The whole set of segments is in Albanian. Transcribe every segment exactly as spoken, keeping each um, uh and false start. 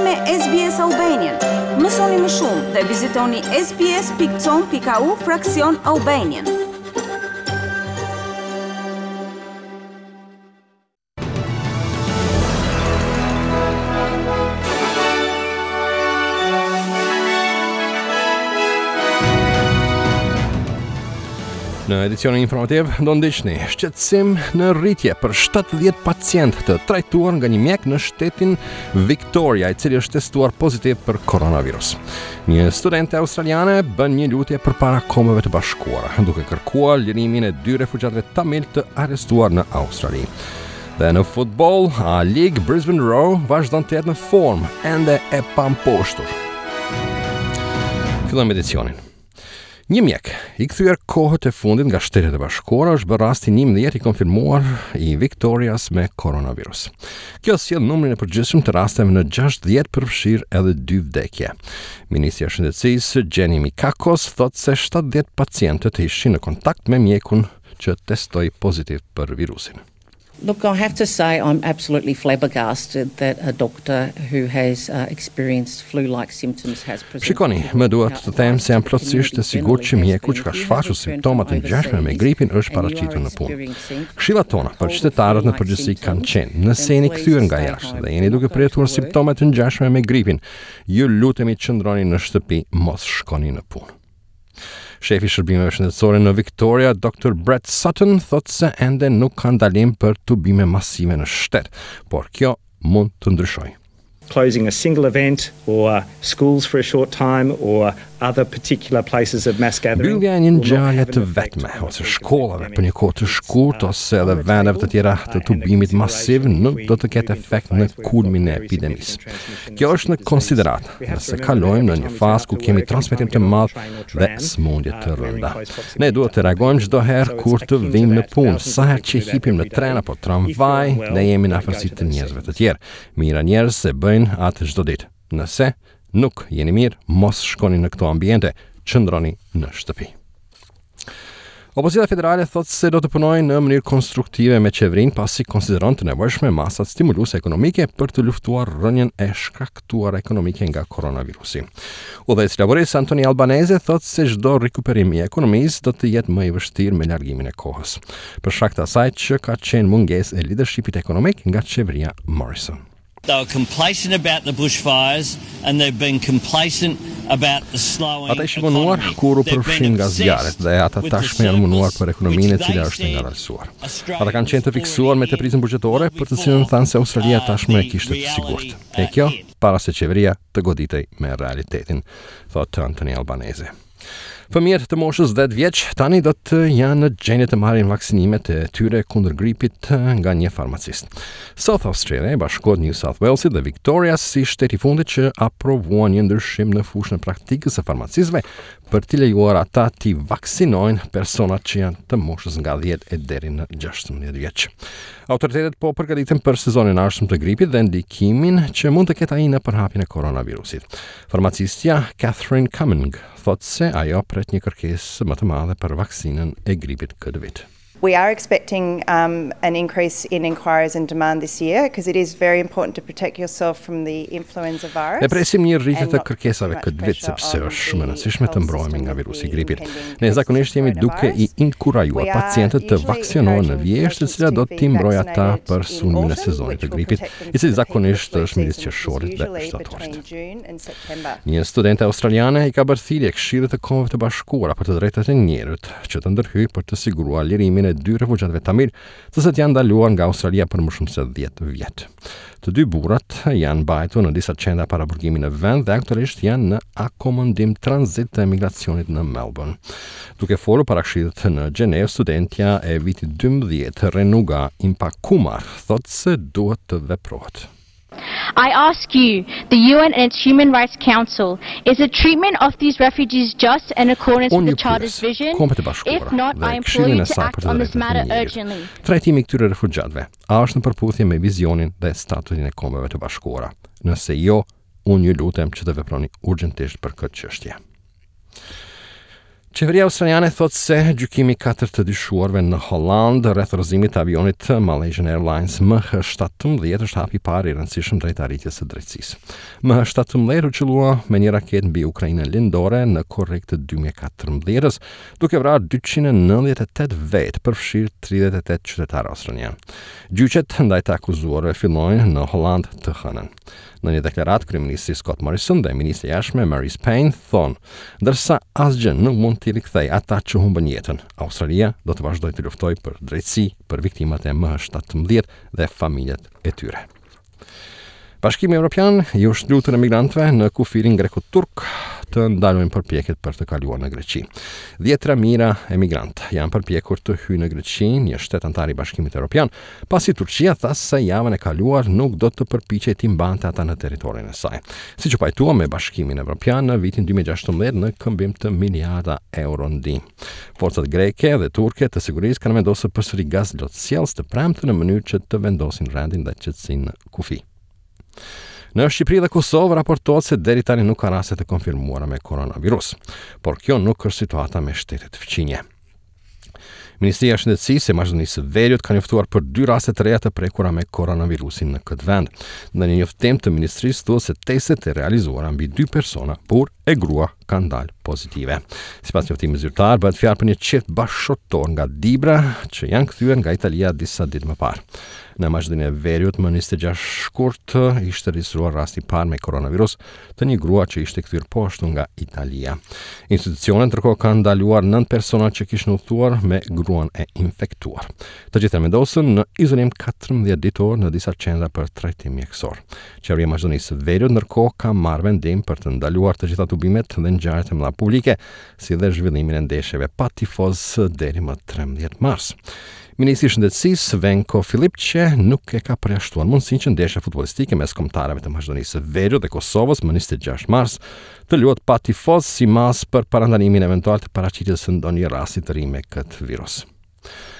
me S B S Albanian. Mësoni më shumë dhe vizitoni S B S pikë com pikë A U fraksion Albanian. Në edicionin informativ do ndiqni shqetësim në rritje për shtatëdhjetë pacientë të trajtuar nga një mjek në shtetin Victoria, i cili është testuar pozitiv për koronavirus. Një studente australiane bën një lutje përpara Kombeve të Bashkuara, duke kërkuar lirimin e dy refugjatëve tamil të arrestuar në Australi. Dhe në futboll, A League, Brisbane Roar vazhdon të jetë në formë, ende e pamposhtur. Fillojmë edicionin. Një mjek i kthyer kohët e fundit nga Shtetet e Bashkuara është bërë rasti njëmbëdhjetë i konfirmuar i Victorias me koronavirus. Kjo sjell numrin e përgjithshëm të rasteve në gjashtëdhjetë, përfshirë edhe dy vdekje. Ministrja e Shëndetësisë Jenny Mikakos thotë se shtatëdhjetë pacientët ishin në kontakt me mjekun që testoi pozitiv për virusin. Look, I have to say I'm absolutely flabbergasted that a doctor who has uh, experienced flu-like symptoms has presented. Shikoni, më duhet të them se jam plotësisht e sigurt që mjeku që ka shfaqur simptoma të ngjashme me gripin është paraqitur në punë. Këshillat tona për qytetarët në përgjithësi kanë qenë: nëse jeni kthyer nga jashtë dhe jeni duke përjetuar simptoma të ngjashme me gripin, ju lutemi qëndroni në shtëpi, mos shkoni në punë. Shefi i shërbimeve shëndetësore në Victoria, Doctor Brett Sutton, thotë se ende nuk ka ndalim për tubime masive në shtet, por kjo mund të ndryshojë. Closing a single event or schools for a short time or other particular places of mass gathering. Mbyllja e një ngjarje të vetme ose shkollave për një kohë të shkurtë ose edhe vendeve të tjera të tubimit masiv nuk do të ketë efekt në kulmin e epidemisë. Kjo është në konsideratë nëse kalojmë në një fazë ku kemi transmetim të madh dhe sëmundje të rënda. Ne duhet të reagojmë çdo herë kur të vijmë në punë, sa herë që hipim në tren apo tramvaj, ne jemi në afërsi të njerëzve të tjerë. Mijëra njerëz se bëjnë atë çdo ditë. Nëse nuk jeni mirë, mos shkoni në këto ambiente, qëndroni në shtëpi. Opozita federale thotë se do të punojë në mënyrë konstruktive me qeverinë, pasi konsideron të nevojshme masat stimuluese ekonomike për të luftuar rënien e shkaktuar ekonomike nga koronavirusi. Udhëheqësi laborist Anthony Albanese thotë se çdo rikuperim i ekonomisë do të jetë më i vështirë me largimin e kohës, për shkak të asaj që ka qenë mungesë e leadershipit ekonomik nga qeveria Morrison. They were complacent about the bushfires and they've been complacent about the slowing Ata ishin vonuar kur u përfshin nga zjarret dhe ata tashmë janë vonuar për ekonominë, e cila është ngadalësuar. Ata kanë qenë të fiksuar me tepricën buxhetore, për të cilën thanë se Australia tashmë e kishte të sigurt. E kjo para se qeveria të goditej me realitetin, thotë Anthony Albanese. Fëmijët të moshës dhjetë vjeç tani do të janë në gjendje të marrin vaksinimet e tyre kundër gripit nga një farmacist. South Australia i bashkohet New South Walesit dhe Victoria si shteti i fundit që aprovuan një ndryshim në fushën e praktikës së farmacistëve për t'i lejuar ata t'i vaksinojnë personat që janë të moshës nga dhjetë e deri në gjashtëmbëdhjetë vjeç. Autoritetet po përgatiten për sezonin e ardhshëm të gripit dhe ndikimin që mund të ketë ai në përhapjen e koronavirusit. Farmacistja Catherine Cumming thotë se ajo pret një kërkesë më të madhe për vaksinën e gripit këtë vit. We are expecting um, an increase in inquiries and demand this year because it is very important to protect yourself from the influenza virus. Ne presim një rritje të kërkesave këtë vit, sepse është shumë e rëndësishme të mbrohemi nga virusi i gripit. Ne zakonisht jemi duke i inkurajuar pacientët të vaksinohen në vjeshtë, e cila do t'i mbrojë ata për sulmin e sezonit të gripit, i cili zakonisht është midis qershorit dhe shtatorit. Një studente australiane i ka bërë thirrje Këshillit të Kombeve të Bashkuara për të drejtat e njerëzit që të ndërhyjë për të siguruar lirimin e dy refugjatëve tamil, të cilët janë ndaluar nga Australia për më shumë se dhjetë vjet. Të dy burrat janë mbajtur në disa qendra paraburgimi në vend dhe aktualisht janë në akomodim tranzit të emigracionit në Melbourne. Duke folur para këshillit në Gjenevë, studentja e vitit dymbëdhjetë Renuga Impakumar thotë se duhet të veprohet. I ask you, the U N and its Human Rights Council, is the treatment of these refugees just and in accordance with the Charter's vision? Kombet e Bashkuara If not, dhe I implore Këshillin you e to saj act për të on this drejtat e matter njerëzit. urgently. Trajtimi i këtyre refugjatëve, a është në përputhje me vizionin dhe statutin e Kombeve të Bashkuara? Nëse jo, unë ju lutem që të veproni urgjentisht për këtë çështje. Qeveria australiane thotë se gjykimi i katër të dyshuarve në Holland rreth rrëzimit të avionit të Malaysian Airlines M H shtatëmbëdhjetë është hapi i parë i rëndësishëm drejt arritjes së drejtësisë. M H shtatëmbëdhjetë u qëllua me një raketë mbi Ukrainën lindore në korrik të dy mijë e katërmbëdhjetës, duke vrarë dyqind e nëntëdhjetë e tetë vetë, përfshirë tridhjetë e tetë qytetarë australian. Gjyqet ndaj të akuzuarve fillojnë në Holland të hënën. Në një deklaratë, kryeministri Scott Morrison dhe ministri i jashtëm Marise Payne thonë, ndërsa asgjë nuk mund t'i rikthej ata që humbën jetën, Australia do të vazhdojë të luftojë për drejtësi për viktimat e M H shtatëmbëdhjetë dhe familjet e tyre. Bashkimi Evropian i është lutur emigrantëve në kufirin greko-turk të ndalojnë përpjekjet për të kaluar në Greqi. Dhjetra mijëra emigrantë janë përpjekur të hyjnë në Greqi, një shtet antar i Bashkimit Evropian, pasi Turqia tha se javën e kaluar nuk do të përpiqej t'i mbante ata në territorin e saj. Siç u pajtua me Bashkimin Evropian në vitin dy mijë e gjashtëmbëdhjetë në këmbim të miliarda euro ndihmë. Forcat greke dhe turke të sigurisë kanë vendosur përsëri gaz lotsjellës të premten në mënyrë që të vendosin rendin dhe qetësinë në kufi. Në Shqipëri dhe Kosovë raportohet se deri tani nuk ka raste të konfirmuara me koronavirus, por kjo nuk është situata me shtetet fqinje. Ministria e Shëndetësisë e Maqedonisë së Veriut ka njoftuar për dy raste të reja të prekura me koronavirusin në këtë vend. Në një njoftim të ministrisë thuhet se testet e realizuara mbi dy persona, burr e grua, kanë dalë pozitive. Sipas njoftimit zyrtar, bëhet fjalë për një çift bashkëshortor nga Dibra që janë kthyer nga Italia disa ditë më parë. Në Maqedoninë e Veriut më njëzet e gjashtë shkurt ishte regjistruar rasti i parë me koronavirus të një grua që ishte kthyer po ashtu nga Italia. Institucionet ndërkohë kanë ndaluar nëntë persona që kishin udhëtuar me gruan e infektuar. Të gjithë janë vendosur në izolim katërmbëdhjetë ditor në disa qendra për trajtim mjekësor. Qeveria e Maqedonisë së Veriut ndërkohë ka marrë vendim për të ndaluar të gjitha tubimet dhe ngjarjet e mëdha publike, si dhe zhvillimin e ndeshjeve pa tifoz deri më trembëdhjetë mars. Ministri i Shëndetësisë Venko Filipçe nuk e ka përjashtuar mundësinë që ndeshja futbollistike mes kombëtareve të Maqedonisë së Veriut dhe Kosovës më njëzet e gjashtë mars të luhet pa tifoz si masë për parandalimin eventual të paraqitjes së ndonjë rasti të ri me këtë virus.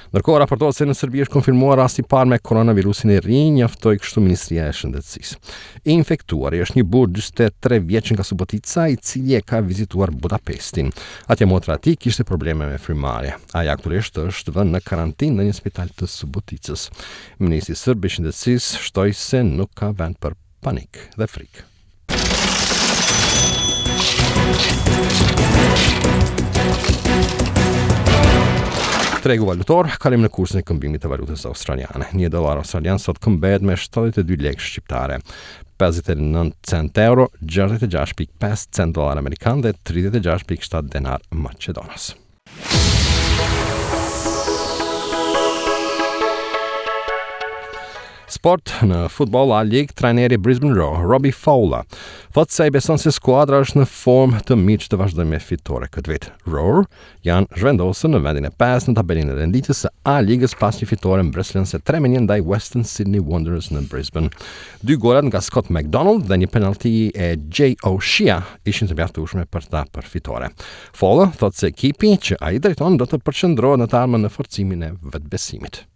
Ndërkohë raportohet se në Serbi është konfirmuar rasti i parë me koronavirusin e ri, njoftoi kështu Ministria e Shëndetësisë. I infektuari është një burrë dyzet e tre vjeç nga Subotica, i cili e ka vizituar Budapestin. Atje motra e tij kishte probleme me frymëmarrje. Ai aktualisht është vënë në karantinë në një spital të Suboticës. Ministri serb i Shëndetësisë shtoi se nuk ka vend për panik dhe frikë. Tregu valutor, kalim në kursin e këmbimit të valutës australiane. Një dollar australian sot këmbehet me shtatëdhjetë e dy lekë shqiptare, pesëdhjetë e nëntë cent euro, gjashtëdhjetë e gjashtë pikë pesë cent dollar amerikan dhe tridhjetë e gjashtë pikë shtatë denar maqedonas. Sport në futboll A League, trajneri Brisbane Roar, Robbie Fowler, thotë se ai beson se skuadra është në formë të mirë që të vazhdojë me fitore këtë vit. Roar janë zhvendosur në vendin e pestë në tabelën e renditjes së A Ligës pas një fitore mbresëlënëse tre me një ndaj Western Sydney Wanderers në Brisbane. Dy golat nga Scott McDonald dhe një penalti e Jay O'Shea ishin të mjaftueshme për ta për fitore. Fowler thotë se ekipi që ai drejton do të përqendrohet në të ardhmen në forcimin e vetbesimit.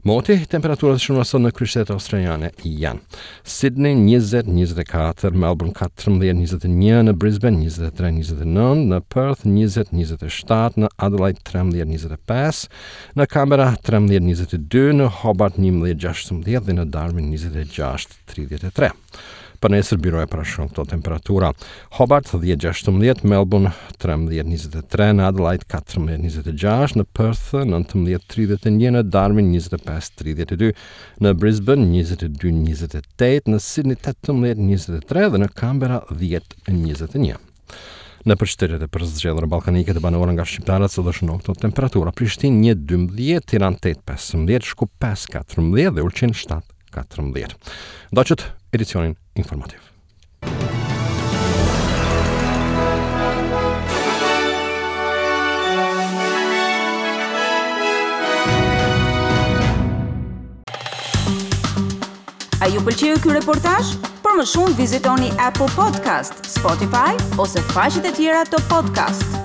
Moti, temperaturat shënuar sot në kryeqytetet australiane janë Sydney njëzet, njëzet e katër, Melbourne katërmbëdhjetë, njëzet e një, në Brisbane njëzet e tre, njëzet e nëntë, në Perth njëzet, njëzet e shtatë, në Adelaide trembëdhjetë, njëzet e pesë, në Canberra trembëdhjetë, njëzet e dy, në Hobart njëmbëdhjetë, gjashtëmbëdhjetë dhe në Darwin njëzet e gjashtë, tridhjetë e tre. Për nesër biroja parashikon këto temperatura: Hobart dhjetë, gjashtëmbëdhjetë, Melbourne trembëdhjetë, njëzet e tre, në Adelaide katërmbëdhjetë, njëzet e gjashtë, në Perth nëntëmbëdhjetë, tridhjetë e një, në Darwin njëzet e pesë, tridhjetë e dy, në Brisbane njëzet e dy, njëzet e tetë, në Sydney tetëmbëdhjetë, njëzet e tre dhe në Canberra dhjetë, njëzet e një. Në përqytetet e përzgjedhura ballkanike të banuara nga shqiptarët sot është në këto temperatura: Prishtinë një dymbëdhjetë, Tiranë tetë pesëmbëdhjetë, Shkup pesë katërmbëdhjetë dhe Ulqin shtatë katërmbëdhjetë. Ndoqët edicionin informativ. A ju pëlqeu ky reportazh? Për më shumë vizitoni Apple Podcast, Spotify ose faqet e tjera të podcast.